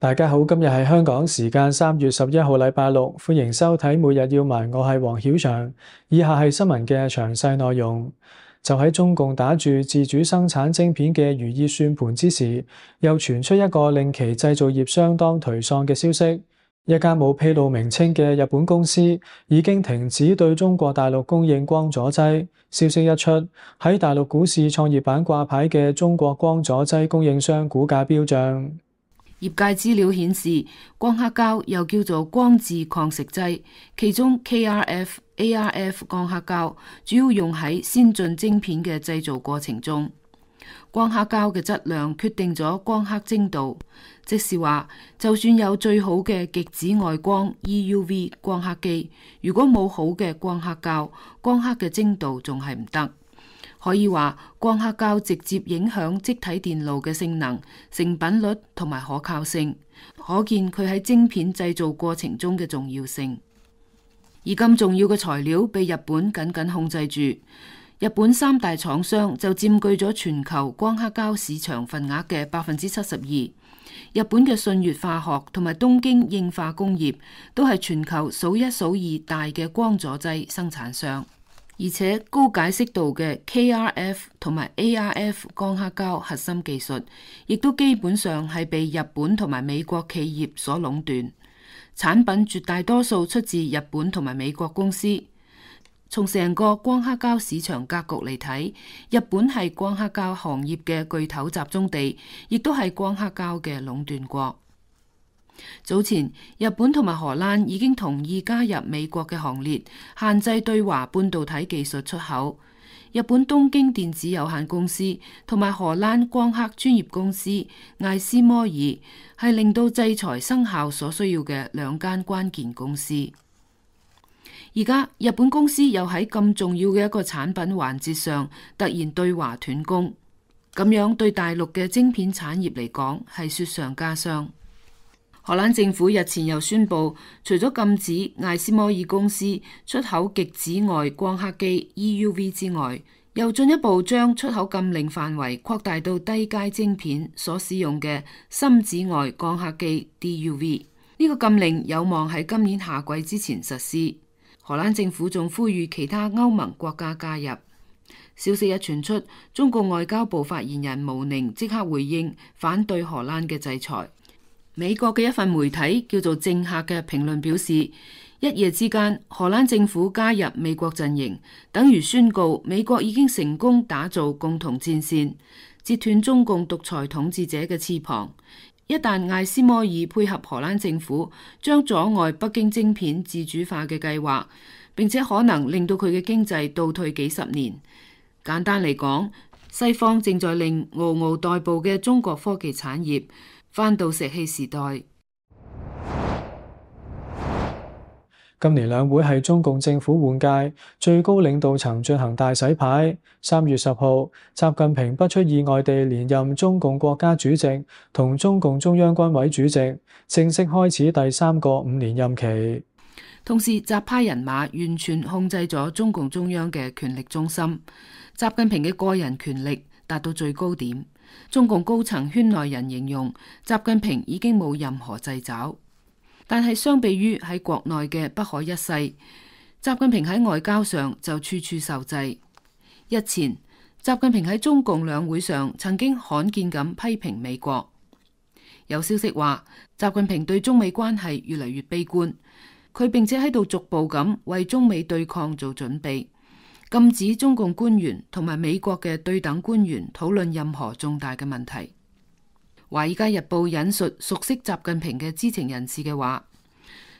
大家好，今日係香港時間3月11號，禮拜六，歡迎收睇每日要聞，我係黃曉翔。以下係新聞嘅詳細內容。就喺中共打住自主生產晶片嘅如意算盤之時，又傳出一個令其製造業相當頹喪嘅消息。一家冇披露名稱嘅日本公司已經停止對中國大陸供應光阻劑。消息一出，喺大陸股市創業板掛牌嘅中國光阻劑供應商股價飆漲。業界資料顯示，光刻膠又叫做光致抗蝕劑，其中 KrF、ArF 光刻膠主要用喺先進晶片嘅製造過程中。光刻膠嘅質量決定咗光刻精度，即是話，就算有最好嘅極紫外光 EUV 光刻機，如果冇好嘅光刻膠，光刻嘅精度仲係唔得。可以話，光刻膠直接影響積體電路嘅性能、成品率同埋可靠性，可見佢喺晶片製造過程中嘅重要性。而咁重要嘅材料被日本緊緊控制住，日本三大廠商就佔據咗全球光刻膠市場份額嘅72%。日本嘅信越化學同埋東京應化工業都係全球數一數二大嘅光阻劑生產商。而且高解析度嘅 KrF 同埋 ArF 光刻膠核心技術，亦都基本上係被日本同埋美國企業所壟斷，產品絕大多數出自日本同埋美國公司。從成個光刻膠市場格局嚟睇，日本係光刻膠行業嘅巨頭集中地，亦都係光刻膠嘅壟斷國。早前，日本同埋荷蘭已經同意加入美國嘅行列，限制對華半導體技術出口。日本東京電子有限公司同埋荷蘭光刻專業公司艾斯摩爾係令到制裁生效所需要嘅兩間關鍵公司。而家日本公司又喺咁重要嘅一個產品環節上突然對華斷供，咁樣對大陸嘅晶片產業嚟講係雪上加霜。荷蘭政府日前又宣布，除咗禁止艾斯摩爾公司出口極紫外光刻機 EUV 之外，又進一步將出口禁令範圍擴大到低階晶片所使用嘅深紫外光刻機 DUV。呢個禁令有望喺今年夏季之前實施。荷蘭政府仲呼籲其他歐盟國家加入。消息一傳出，中國外交部發言人毛寧即刻回應反對荷蘭嘅制裁。美國嘅一份媒體叫做《政客》嘅評論表示，一夜之間荷蘭政府加入美國陣營，等於宣告美國已經成功打造共同戰線，截斷中共獨裁統治者嘅翅膀。一旦艾斯摩爾配合荷蘭政府，將阻礙北京晶片自主化嘅計劃，並且可能令到佢嘅經濟倒退幾十年。簡單嚟講，西方正在令嗷嗷待哺嘅中國科技產業返到石器時代。今年兩會係中共政府換屆，最高領導層進行大洗牌。3月10號，習近平不出意外地連任中共國家主席同中共中央軍委主席，正式開始第3個5年任期。同時，習派人馬完全控制咗中共中央嘅權力中心，習近平嘅個人權力達到最高點。中共高層圈內人形容，習近平已經冇任何掣肘。但係相比於喺國內嘅不可一世，習近平喺外交上就處處受制。日前，習近平喺中共兩會上曾經罕見咁批評美國。有消息話，習近平對中美關係越嚟越悲觀，佢並且喺度逐步咁為中美對抗做準備，禁止中共官員同埋美國嘅對等官員討論任何重大嘅問題。《華爾街日報》引述熟悉習近平嘅知情人士嘅話，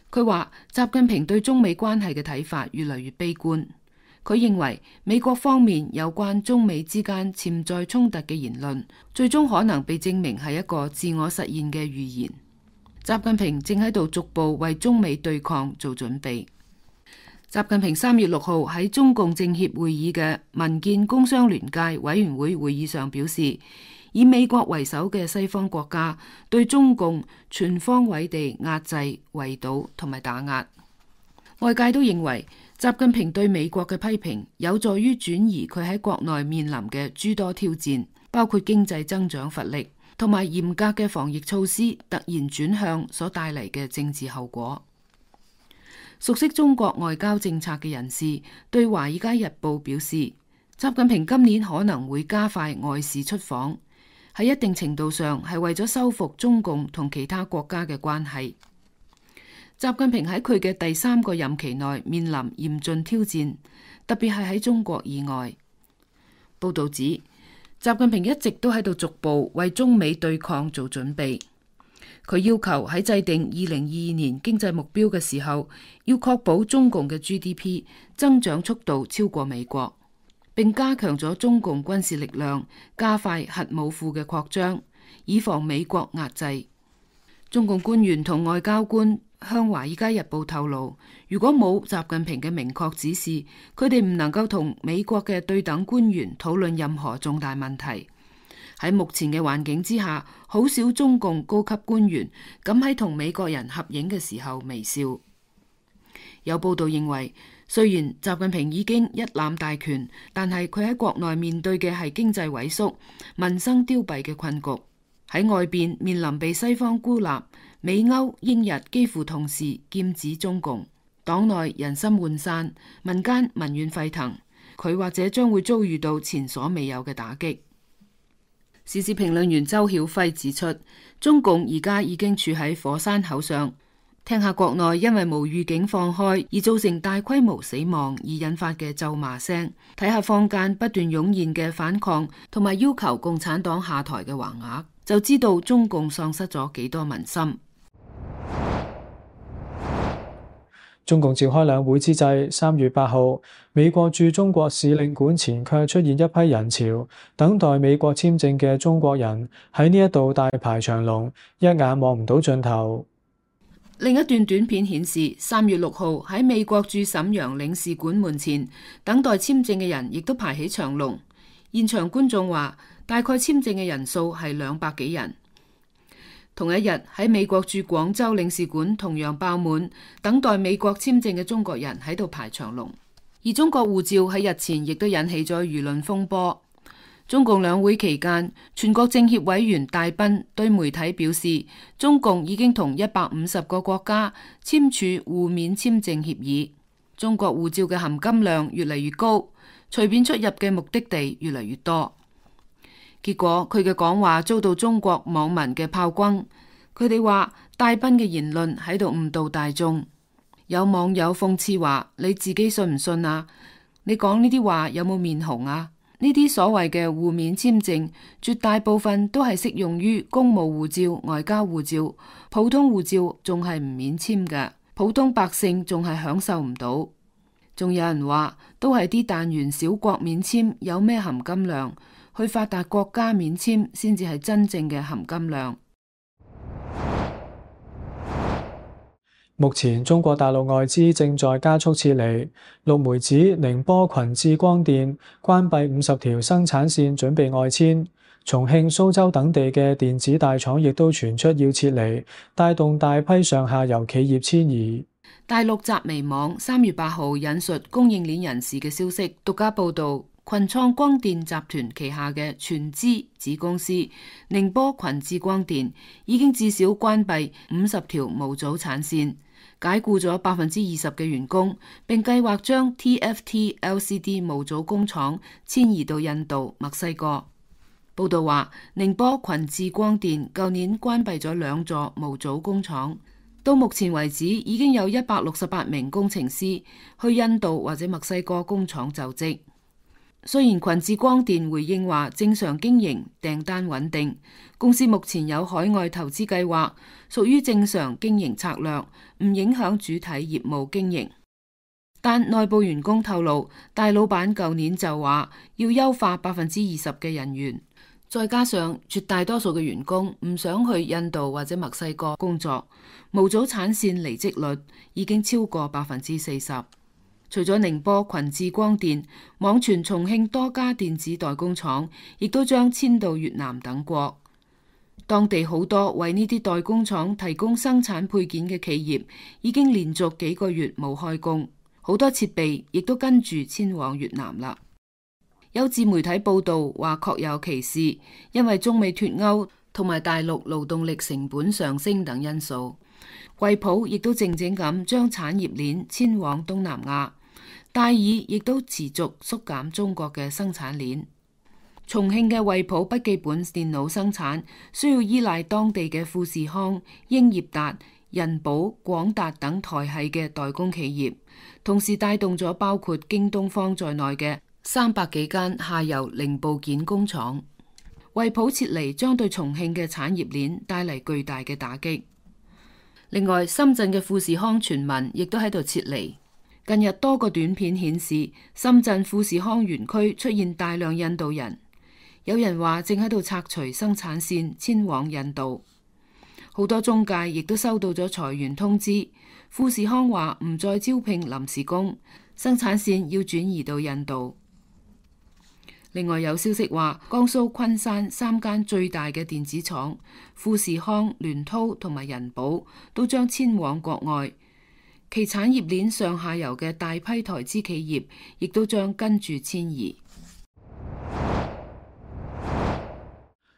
佢話習近平對中美關係嘅睇法越嚟越悲觀。佢認為美國方面有關中美之間潛在衝突嘅言論，最終可能被證明係一個自我實現嘅預言。習近平正喺度逐步為中美對抗做準備。習近平3月6號喺中共政協會議嘅民建工商聯界委員會會議上表示，以美國為首嘅西方國家對中共全方位地壓制、圍堵同埋打壓。外界都認為習近平對美國嘅批評有助於轉移佢喺國內面臨嘅諸多挑戰，包括經濟增長乏力、同埋嚴格嘅防疫措施突然轉向所帶嚟嘅政治後果。熟悉中國外交政策嘅人士對《華爾街日報》表示，習近平今年可能會加快外事出訪，喺一定程度上係為咗修復中共同其他國家嘅關係。習近平喺佢嘅第3個任期內面臨嚴峻挑戰，特別係喺中國以外。報導指，習近平一直都喺度逐步為中美對抗做準備。佢要求喺制定2022年經濟目標嘅時候，要確保中共嘅 GDP 增長速度超過美國，並加強咗中共軍事力量，加快核武庫嘅擴張，以防美國壓制。中共官員同外交官向《華爾街日報》透露，如果冇習近平嘅明確指示，佢哋唔能夠同美國嘅對等官員討論任何重大問題。喺目前嘅環境之下，好少中共高級官員敢喺同美國人合影嘅時候微笑。有報道認為，雖然習近平已經一攬大權，但係佢喺國內面對嘅係經濟萎縮、民生凋敝嘅困局。喺外邊面臨被西方孤立，美歐英日幾乎同時劍指中共，黨內人心渙散，民間民怨沸騰，佢或者將會遭遇到前所未有嘅打擊。時事評論員周曉輝指出，中共而家已經處喺火山口上，聽下國內因為無預警放開而造成大規模死亡而引發嘅咒罵聲，睇下坊間不斷湧現嘅反抗同埋要求共產黨下台嘅橫額，就知道中共喪失咗幾多民心。中共召開兩會之際，3月8號，美國駐中國使領館前卻出現一批人潮，等待美國簽證嘅中國人喺呢一度大排長龍，一眼望唔到盡頭。另一段短片顯示，3月6號喺美國駐瀋陽領事館門前等待簽證嘅人亦都排起長龍，現場觀眾話大概簽證嘅人數係200幾人。同一日喺美國駐廣州領事館同樣爆滿，等待美國簽證嘅中國人喺度排長龍。而中國護照喺日前亦都引起咗輿論風波。中共兩會期間，全國政協委員戴斌對媒體表示，中共已經同150個國家簽署互免簽證協議，中國護照嘅含金量越嚟越高，隨便出入嘅目的地越嚟越多。結果佢嘅講話遭到中國網民嘅炮轟，佢哋話戴斌嘅言論喺度誤導大眾。有網友諷刺話：你自己信唔信啊？你講呢啲話有冇面紅啊？呢啲所謂嘅互免簽證，絕大部分都係適用於公務護照、外交護照，普通護照仲係唔免簽嘅，普通百姓仲係享受唔到。仲有人話，都係啲彈丸小國免簽，有咩含金量？去發達國家免簽先至係真正嘅含金量。目前中國大陸外資正在加速撤離。陸媒指寧波群智光電關閉50條生產線，準備外遷。重慶、蘇州等地嘅電子大廠亦都傳出要撤離，帶動大批上下游企業遷移。大陸集微網3月8號引述供應鏈人士嘅消息，獨家報道，群創光電集團旗下嘅全資子公司寧波群智光電已經至少關閉50條模組產線，解僱咗20%嘅員工，並計劃將 TFT LCD 模組工廠遷移到印度、墨西哥。報道話，寧波群智光電舊年關閉咗2座模組工廠，到目前為止已經有168名工程師去印度或者墨西哥工廠就職。雖然群智光電回應話正常經營，訂單穩定，公司目前有海外投資計劃，屬於正常經營策略，唔影響主體業務經營。但內部員工透露，大老闆舊年就話要優化20%嘅人員，再加上絕大多數嘅員工唔想去印度或者墨西哥工作，模組產線離職率已經超過40%。除咗寧波群智光電，網傳重慶多家電子代工廠亦都將遷到越南等國。當地好多為呢啲代工廠提供生產配件嘅企業已經連續幾個月冇開工，好多設備亦都跟住遷往越南啦。有自媒體報道話確有其事，因為中美脫鈎同埋大陸勞動力成本上升等因素。惠普亦都靜靜咁將產業鏈遷往東南亞，戴爾亦都持續縮減中國嘅生產鏈。重慶嘅惠普筆記本電腦生產需要依賴當地嘅富士康、英業達、人保、廣達等台系嘅代工企業，同時帶動咗包括京東方在內嘅300幾間下游零部件工廠。惠普撤離將對重慶嘅產業鏈帶嚟巨大嘅打擊。另外，深圳嘅富士康傳聞亦都喺度撤離。近日多個短片顯示，深圳富士康園區出現大量印度人，有人話正喺度拆除生產線遷往印度。好多中介亦都收到咗裁員通知，富士康話唔再招聘臨時工，生產線要轉移到印度。另外有消息話，江蘇昆山3間最大嘅電子廠富士康、聯滔同埋人保都將遷往國外，其產業鏈上下游嘅大批台資企業亦都將跟住遷移。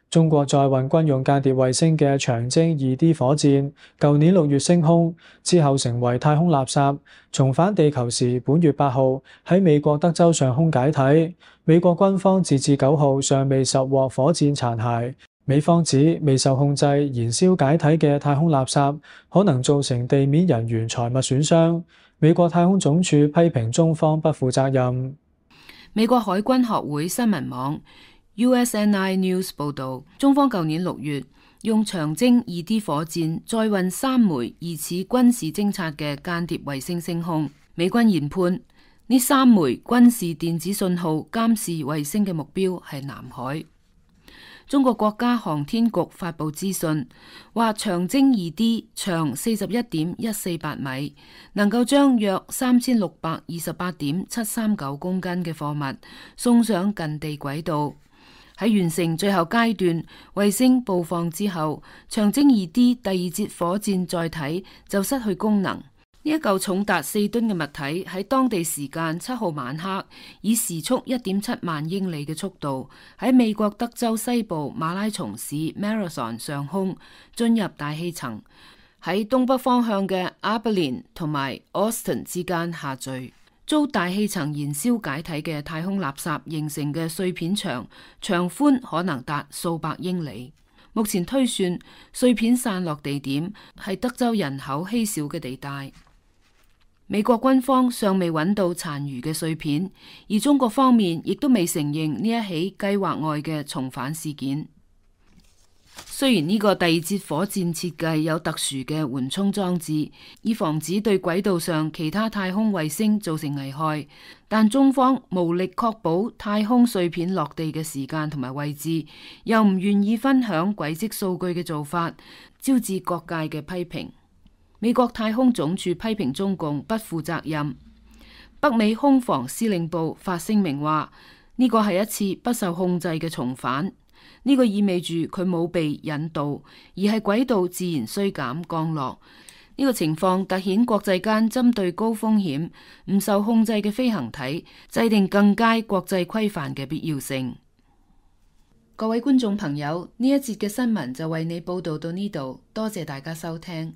中國載運軍用間諜衛星嘅長征 2D 火箭，舊年6月升空之後成為太空垃圾，重返地球時，本月8號喺美國德州上空解體。美國軍方截至9號尚未拾獲火箭殘骸。美方指未受控制燃燒解體嘅太空垃圾可能造成地面人員財物損傷。美國太空總署批評中方不負責任。美國海軍學會新聞網 USNI News 報導，中方舊年6月用長征 2D 火箭載運3枚疑似軍事偵察嘅間諜衛星升空。美軍研判呢3枚軍事電子信號監視衛星嘅目標係南海。中國國家航天局發佈資訊，話長征 2D 長41.148米，能夠將約3628.739公斤嘅貨物送上近地軌道。喺完成最後階段衛星布放之後，長征 2D 第二節火箭載體就失去功能。呢一嚿重達4噸嘅物體喺當地時間7號晚黑，以時速1.7萬英里嘅速度喺美國德州西部馬拉松市 Marathon 上空進入大氣層，喺東北方向嘅 Abilene 同埋 Austin 之間下墜。遭大氣層燃燒解體嘅太空垃圾形成嘅碎片長寬可能達數百英里。目前推算碎片散落地點係德州人口稀少嘅地帶。美國軍方尚未揾到殘餘嘅碎片，而中國方面亦都未承認呢一起計劃外嘅重返事件。雖然呢個第二節火箭設計有特殊嘅緩衝裝置，以防止對軌道上其他太空衛星造成危害，但中方無力確保太空碎片落地嘅時間同埋位置，又唔願意分享軌跡數據嘅做法，招致各界嘅批評。美國太空總署批評中共不負責任。北美空防司令部發聲明話，呢個係一次不受控制嘅重返。呢個意味住佢冇被引導，而係軌道自然衰減降落。呢個情況凸顯國際間針對高風險、唔受控制嘅飛行體制定更佳國際規範嘅必要性。各位觀眾朋友，呢一節嘅新聞就為你報道到呢度，多謝大家收聽。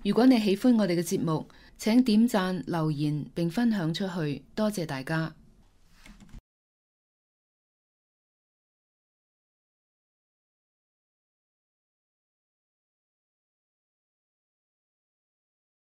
如果你喜歡我哋嘅節目，請點讚、留言並分享出去，多謝大家。